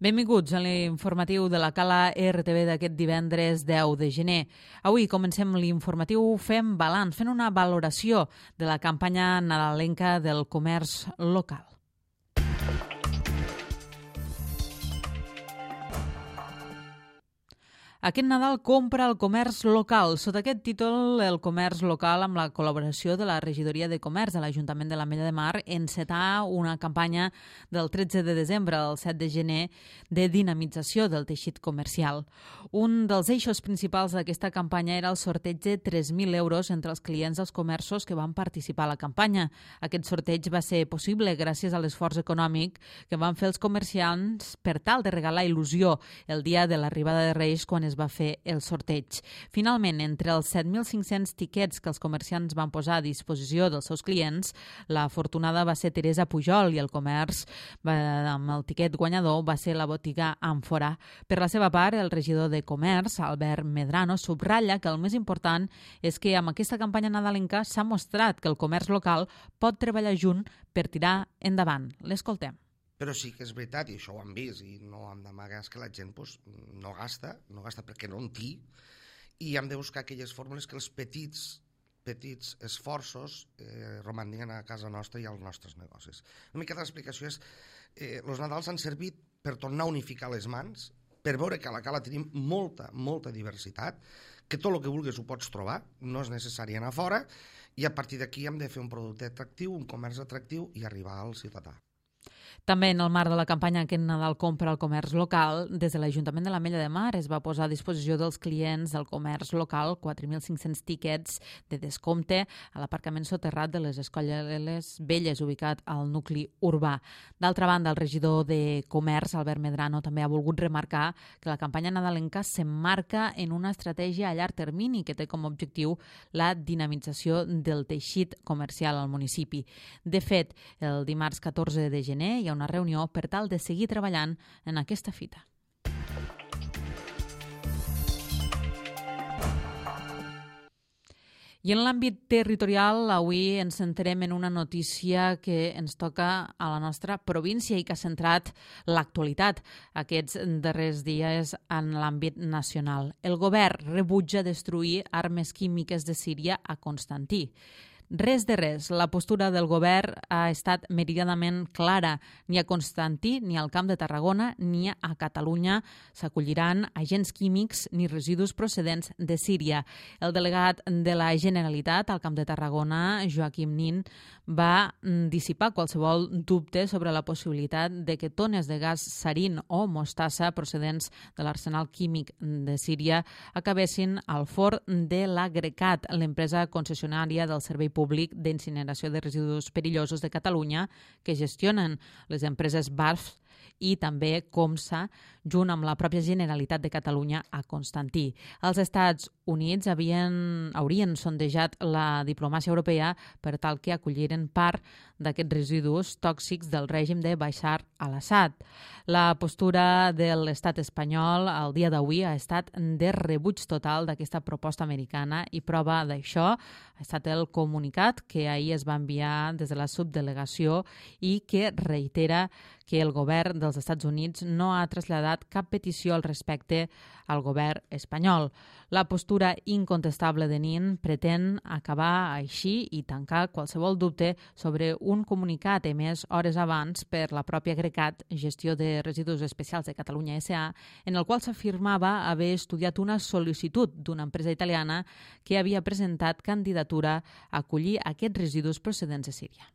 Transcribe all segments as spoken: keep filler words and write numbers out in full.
Benvinguts a l'informatiu de la Cala R T V d'aquest divendres deu de gener. Avui comencem l'informatiu fent balanç, fent una valoració de la campanya nadalenca del comerç local. Aquest Nadal compra el comerç local. Sota aquest títol, el comerç local, amb la col·laboració de la Regidoria de Comerç de l'Ajuntament de l'Ametlla de Mar, encetà una campanya del tretze de desembre al set de gener de dinamització del teixit comercial. Un dels eixos principals d'aquesta campanya era el sorteig de tres mil euros entre els clients dels comerços que van participar a la campanya. Aquest sorteig va ser possible gràcies a l'esforç econòmic que van fer els comerciants per tal de regalar il·lusió el dia de l'arribada de Reis, quan es va fer el sorteig. Finalment, entre els set mil cinc-cents tiquets que els comerciants van posar a disposició dels seus clients, la afortunada va ser Teresa Pujol i el comerç va, amb el tiquet guanyador va ser la botiga Àmfora. Per la seva part, el regidor de Comerç, Albert Medrano, subratlla que el més important és que amb aquesta campanya nadalenca s'ha mostrat que el comerç local pot treballar junt per tirar endavant. L'escoltem. Però sí que és veritat, i això ho hem vist, i no hem d'amagar, que la gent pues, no gasta, no gasta perquè no en té, i hem de buscar aquelles fórmules que els petits, petits esforços eh, romanguin a casa nostra i als nostres negocis. Una mica l'explicació és eh, els Nadals han servit per tornar a unificar les mans, per veure que a la Cala tenim molta, molta diversitat, que tot el que vulguis ho pots trobar, no és necessari anar fora, i a partir d'aquí hem de fer un producte atractiu, un comerç atractiu i arribar al ciutadà. També en el marc de la campanya Aquest Nadal compra el comerç local, des de l'Ajuntament de l'Ametlla de Mar es va posar a disposició dels clients del comerç local quatre mil cinc-cents tiquets de descompte a l'aparcament soterrat de les Escolles Velles, ubicat al nucli urbà. D'altra banda, el regidor de Comerç, Albert Medrano, també ha volgut remarcar que la campanya nadalenca s'emmarca en una estratègia a llarg termini que té com a objectiu la dinamització del teixit comercial al municipi. De fet, el dimarts catorze de gener hi ha una reunió per tal de seguir treballant en aquesta fita. I en l'àmbit territorial, avui ens centrem en una notícia que ens toca a la nostra província i que ha centrat l'actualitat aquests darrers dies en l'àmbit nacional. El govern rebutja destruir armes químiques de Síria a Constantí. Res de res, la postura del govern ha estat meridianament clara. Ni a Constantí, ni al Camp de Tarragona, ni a Catalunya s'acolliran agents químics ni residus procedents de Síria. El delegat de la Generalitat al Camp de Tarragona, Joaquim Nin, va dissipar qualsevol dubte sobre la possibilitat de que tones de gas sarin o mostassa procedents de l'arsenal químic de Síria acabessin al forn de l'Agrecat, l'empresa concessionària del Servei Públic d'Incineració de Residus Perillosos de Catalunya, que gestionen les empreses B A R F i també Comsa, junt amb la pròpia Generalitat de Catalunya a Constantí. Els Estats Units havien, haurien sondejat la diplomàcia europea per tal que acolliren part d'aquests residus tòxics del règim de Bashar al-Assad. La postura de l'estat espanyol al dia d'avui ha estat de rebuig total d'aquesta proposta americana i prova d'això ha estat el comunicat que ahir es va enviar des de la subdelegació i que reitera que el govern dels Estats Units no ha traslladat cap petició al respecte al govern espanyol. La postura incontestable de Nin pretén acabar així i tancar qualsevol dubte sobre un comunicat emès hores abans per la pròpia Agrecat, Gestió de Residus Especials de Catalunya S A, en el qual s'afirmava haver estudiat una sol·licitud d'una empresa italiana que havia presentat candidatura a acollir aquests residus procedents de Síria.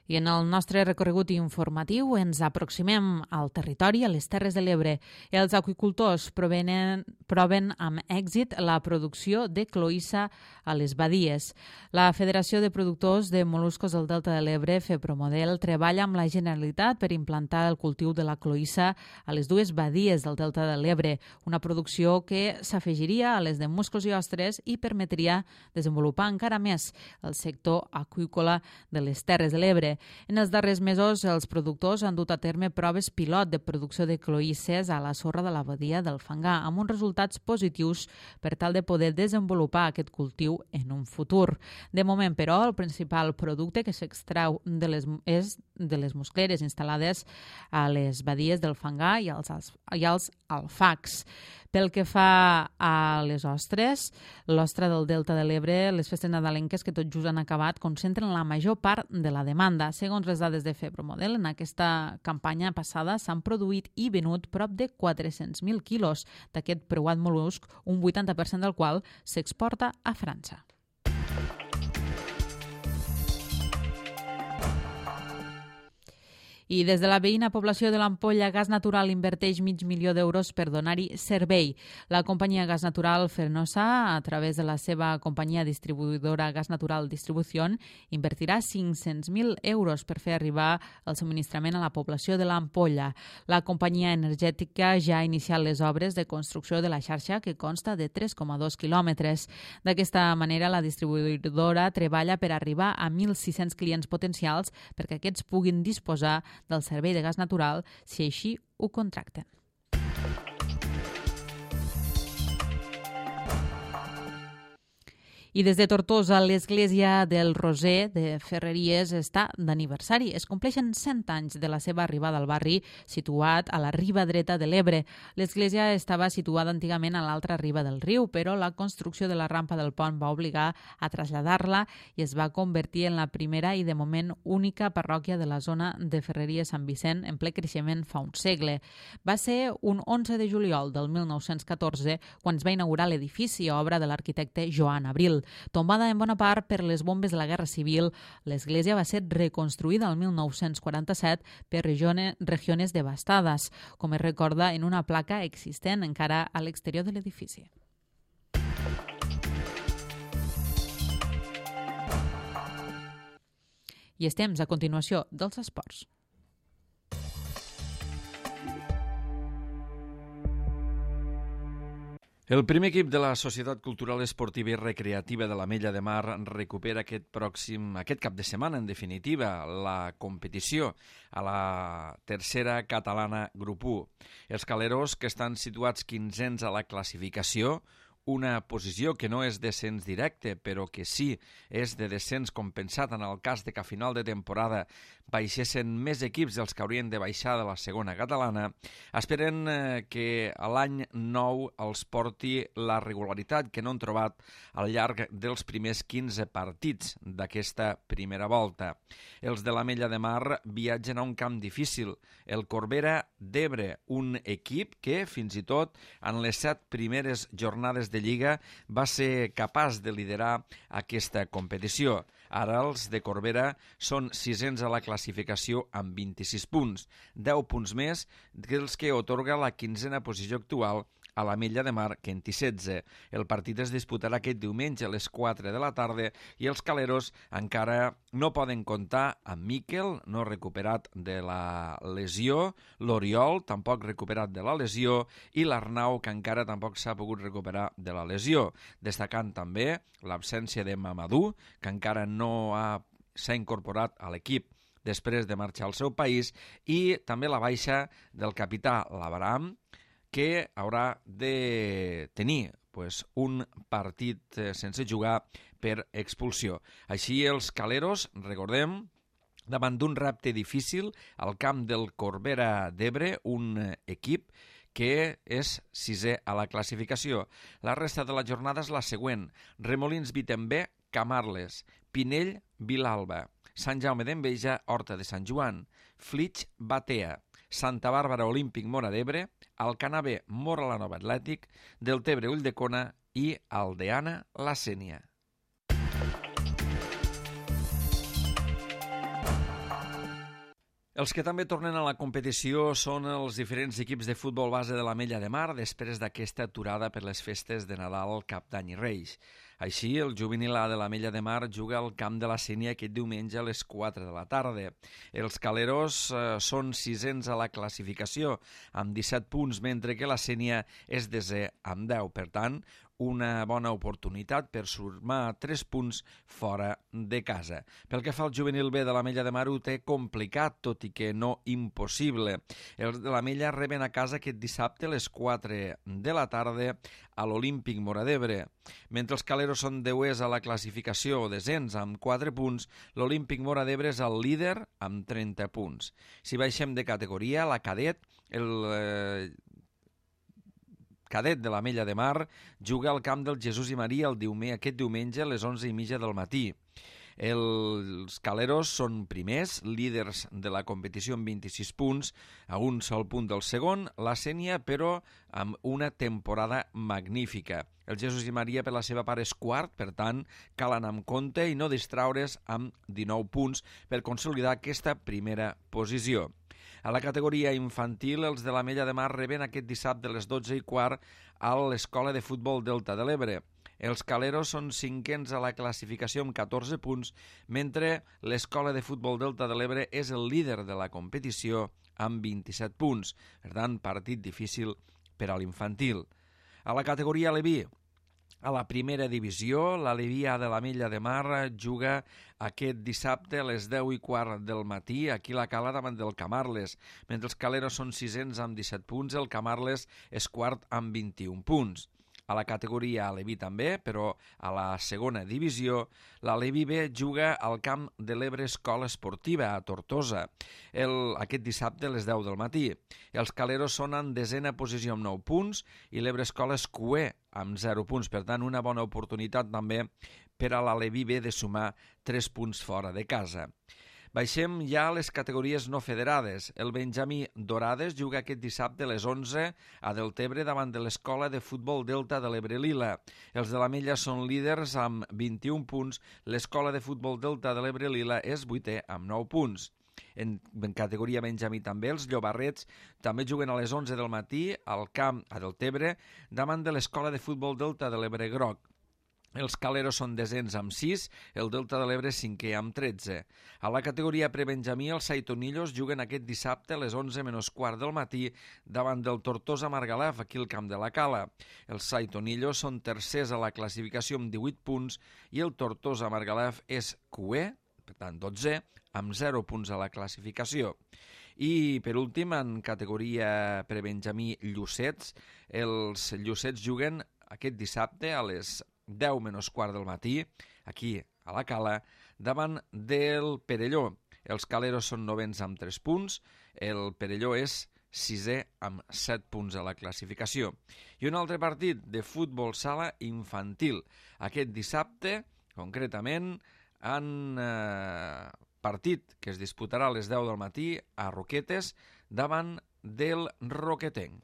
I en el nostre recorregut informatiu ens aproximem al territori, a les Terres de l'Ebre. Els aqüicultors provenen, proven amb èxit la producció de cloïssa a les badies. La Federació de Productors de Moluscos del Delta de l'Ebre, FEPROMODEL, treballa amb la Generalitat per implantar el cultiu de la cloïssa a les dues badies del Delta de l'Ebre, una producció que s'afegiria a les de musclos i ostres i permetria desenvolupar encara més el sector aqüícola de les Terres de l'Ebre. l'Ebre. En els darrers mesos, els productors han dut a terme proves pilot de producció de cloïsses a la sorra de la badia del Fangar, amb uns resultats positius per tal de poder desenvolupar aquest cultiu en un futur. De moment, però, el principal producte que s'extrau de les, és de les muscleres instal·lades a les badies del Fangar i als, i als alfacs. Pel que fa a les ostres, l'ostra del Delta de l'Ebre, les festes nadalenques que tot just han acabat concentren la major part de la demanda. Segons les dades de Febromodel, en aquesta campanya passada s'han produït i venut prop de quatre-cents mil quilos d'aquest preuat mol·lusc, un vuitanta per cent del qual s'exporta a França. I des de la veïna població de l'Ampolla, Gas Natural inverteix mig milió d'euros per donar-hi servei. La companyia Gas Natural Fernosa, a través de la seva companyia distribuïdora Gas Natural Distribució, invertirà cinc-cents mil euros per fer arribar el subministrament a la població de l'Ampolla. La companyia energètica ja ha iniciat les obres de construcció de la xarxa, que consta de tres coma dos quilòmetres. D'aquesta manera, la distribuïdora treballa per arribar a mil sis-cents clients potencials perquè aquests puguin disposar del servei de gas natural si així ho contracten. I des de Tortosa, l'església del Roser de Ferreries està d'aniversari. Es compleixen cent anys de la seva arribada al barri, situat a la riba dreta de l'Ebre. L'església estava situada antigament a l'altra riba del riu, però la construcció de la rampa del pont va obligar a traslladar-la i es va convertir en la primera i de moment única parròquia de la zona de Ferreries Sant Vicent en ple creixement fa un segle. Va ser un onze de juliol del mil nou-cents catorze quan es va inaugurar l'edifici, obra de l'arquitecte Joan Abril. Tombada en bona part per les bombes de la Guerra Civil, l'església va ser reconstruïda el mil nou-cents quaranta-set per regiones devastades, com es recorda en una placa existent encara a l'exterior de l'edifici. I és temps, a continuació, dels esports. El primer equip de la Societat Cultural Esportiva i Recreativa de l'Ametlla de Mar recupera aquest pròxim, aquest cap de setmana, en definitiva, la competició a la tercera catalana grup u. Els caleros, que estan situats quinzens a la classificació, una posició que no és descens directe, però que sí és de descens compensat en el cas de que a final de temporada baixessin més equips dels que haurien de baixar de la segona catalana, esperen eh, que l'any nou els porti la regularitat que no han trobat al llarg dels primers quinze partits d'aquesta primera volta. Els de l'Ametlla de Mar viatgen a un camp difícil, el Corbera d'Ebre, un equip que, fins i tot, en les set primeres jornades de Lliga va ser capaç de liderar aquesta competició. Ara els de Corbera són sisens a la classificació amb vint-i-sis punts, deu punts més que els que otorga la quinzena posició actual a l'Ametlla de Mar, que en té setze. El partit es disputarà aquest diumenge a les quatre de la tarda i els caleros encara no poden comptar amb Miquel, no recuperat de la lesió, l'Oriol, tampoc recuperat de la lesió, i l'Arnau, que encara tampoc s'ha pogut recuperar de la lesió, destacant també l'absència de Mamadou, que encara no ha, s'ha incorporat a l'equip després de marxar al seu país, i també la baixa del capità l'Abraham, que haurà de tenir pues, un partit sense jugar per expulsió. Així els caleros, recordem, davant d'un repte difícil al camp del Corbera d'Ebre, un equip que és sisè a la classificació. La resta de la jornada és la següent: Remolins Vitembé, Camarles, Pinell, Vilalba, Sant Jaume d'Enveja, Horta de Sant Joan, Flix, Batea, Santa Bàrbara Olímpic Móra d'Ebre, Alcanar B, Móra la Nova Atlètic, Deltebre Ulldecona i Aldeana la Sénia. Els que també tornen a la competició són els diferents equips de futbol base de l'Ametlla de Mar després d'aquesta aturada per les festes de Nadal, Cap d'Any i Reis. Així, el juvenil A de l'Ametlla de Mar juga al camp de la Sénia aquest diumenge a les quatre de la tarda. Els caleros eh, són sisens a la classificació, amb disset punts, mentre que la Sénia és desè amb deu. Per tant, una bona oportunitat per sumar tres punts fora de casa. Pel que fa al juvenil B de l'Ametlla de Mar, ho té complicat, tot i que no impossible. Els de l'Ametlla reben a casa aquest dissabte a les quatre de la tarda a l'Olímpic Móra d'Ebre. Mentre els caleros són deuers a la classificació o descens amb quatre punts, l'Olímpic Móra d'Ebre és el líder amb trenta punts. Si baixem de categoria, la cadet, el eh, cadet de l'Ametlla de Mar juga al camp del Jesús i Maria el diumenge, aquest diumenge a les onze i mitja del matí. Els caleros són primers, líders de la competició amb vint-i-sis punts, a un sol punt del segon, la Sénia, però amb una temporada magnífica. El Jesús i Maria, per la seva part, és quart, per tant, cal anar amb compte i no distraure's amb dinou punts per consolidar aquesta primera posició. A la categoria infantil, els de l'Ametlla de Mar reben aquest dissabte a les dotze i quart a l'Escola de Futbol Delta de l'Ebre. Els caleros són cinquens a la classificació amb catorze punts, mentre l'Escola de Futbol Delta de l'Ebre és el líder de la competició amb vint-i-set punts. Per tant, partit difícil per a l'infantil. A la categoria Aleví, a la primera divisió, l'Aleví A de l'Ametlla de Mar juga aquest dissabte a les deu i quart del matí aquí a la Cala davant del Camarles. Mentre els caleros són sisens amb disset punts, el Camarles és quart amb vint-i-un punts. A la categoria Aleví també, però a la segona divisió, l'Aleví B juga al camp de l'Ebre Escola Esportiva a Tortosa el, aquest dissabte a les deu del matí. Els caleros són en desena posició amb nou punts i l'Ebre Escola és cuer amb zero punts. Per tant, una bona oportunitat també per a l'Aleví B de sumar tres punts fora de casa. Baixem ja a les categories no federades. El Benjamí Dorades juga aquest dissabte a les onze a Deltebre davant de l'Escola de Futbol Delta de l'Ebre Lila. Els de l'Ametlla són líders amb vint-i-un punts. L'Escola de Futbol Delta de l'Ebre Lila és vuitè amb nou punts. En, en categoria Benjamí també, els Llobarrets també juguen a les onze del matí al camp a Deltebre davant de l'Escola de Futbol Delta de l'Ebre Groc. Els caleros són desens amb sis, el Delta de l'Ebre cinquè amb tretze. A la categoria prebenjamí, els Saitonillos juguen aquest dissabte a les onze menys quart del matí davant del Tortosa Margalef, aquí al camp de la Cala. Els Saitonillos són tercers a la classificació amb divuit punts i el Tortosa Margalef és cuer, per tant dotze, amb zero punts a la classificació. I, per últim, en categoria prebenjamí Llucets, els Llucets juguen aquest dissabte a les deu menys quart del matí, aquí a la Cala, davant del Perelló. Els caleros són novens amb tres punts, el Perelló és sisè amb set punts a la classificació. I un altre partit de futbol sala infantil. Aquest dissabte, concretament, en eh, partit que es disputarà a les deu del matí a Roquetes davant del Roquetenc.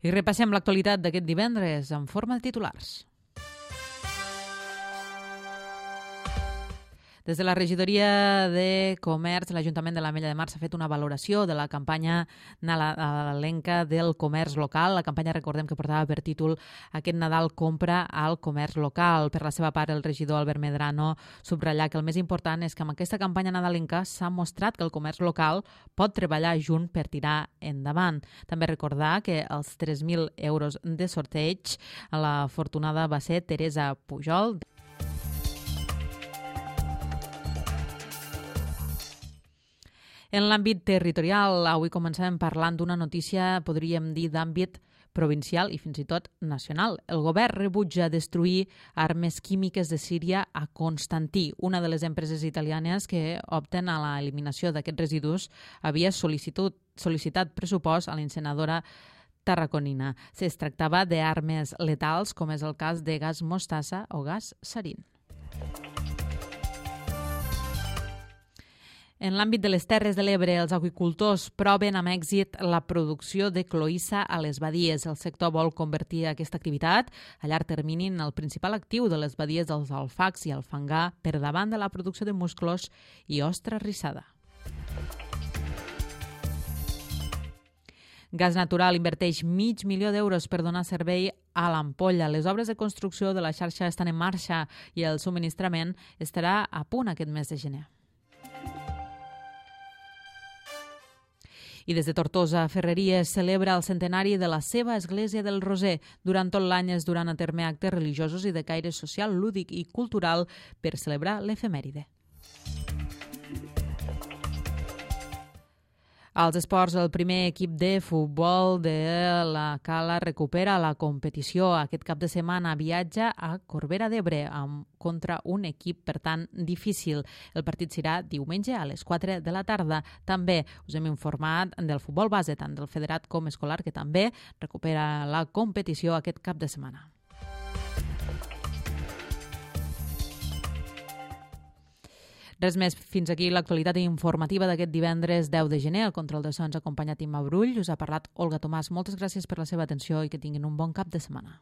I repassem l'actualitat d'aquest divendres en forma de titulars. Des de la regidoria de Comerç, l'Ajuntament de l'Ametlla de Mar s'ha fet una valoració de la campanya nadalenca del comerç local. La campanya, recordem, que portava per títol Aquest Nadal compra al comerç local. Per la seva part, el regidor Albert Medrano subratlla que el més important és que amb aquesta campanya nadalenca s'ha mostrat que el comerç local pot treballar junt per tirar endavant. També recordar que els tres mil euros de sorteig, la afortunada va ser Teresa Pujol. En l'àmbit territorial, avui començàvem parlant d'una notícia, podríem dir, d'àmbit provincial i fins i tot nacional. El govern rebutja destruir armes químiques de Síria a Constantí. Una de les empreses italianes que opten a l'eliminació d'aquests residus havia sol·licitat, sol·licitat pressupost a l'incineradora tarraconina. Es tractava d'armes letals, com és el cas de gas mostassa o gas sarin. En l'àmbit de les Terres de l'Ebre, els aqüicultors proven amb èxit la producció de cloïssa a les badies. El sector vol convertir aquesta activitat a llarg termini en el principal actiu de les badies dels alfacs i el fangar per davant de la producció de musclos i ostra rissada. Gas Natural inverteix mig milió d'euros per donar servei a l'Ampolla. Les obres de construcció de la xarxa estan en marxa i el subministrament estarà a punt aquest mes de gener. I des de Tortosa, Ferreries celebra el centenari de la seva església del Roser. Durant tot l'any es duran a terme actes religiosos i de caire social, lúdic i cultural per celebrar l'efemèride. Als esports, el primer equip de futbol de la Cala recupera la competició. Aquest cap de setmana viatja a Corbera d'Ebre contra un equip, per tant, difícil. El partit serà diumenge a les quatre de la tarda. També us hem informat del futbol base, tant del federat com escolar, que també recupera la competició aquest cap de setmana. Res més, fins aquí l'actualitat informativa d'aquest divendres deu de gener. El control de so ens ha acompanyat Imma Brull, us ha parlat Olga Tomàs. Moltes gràcies per la seva atenció i que tinguin un bon cap de setmana.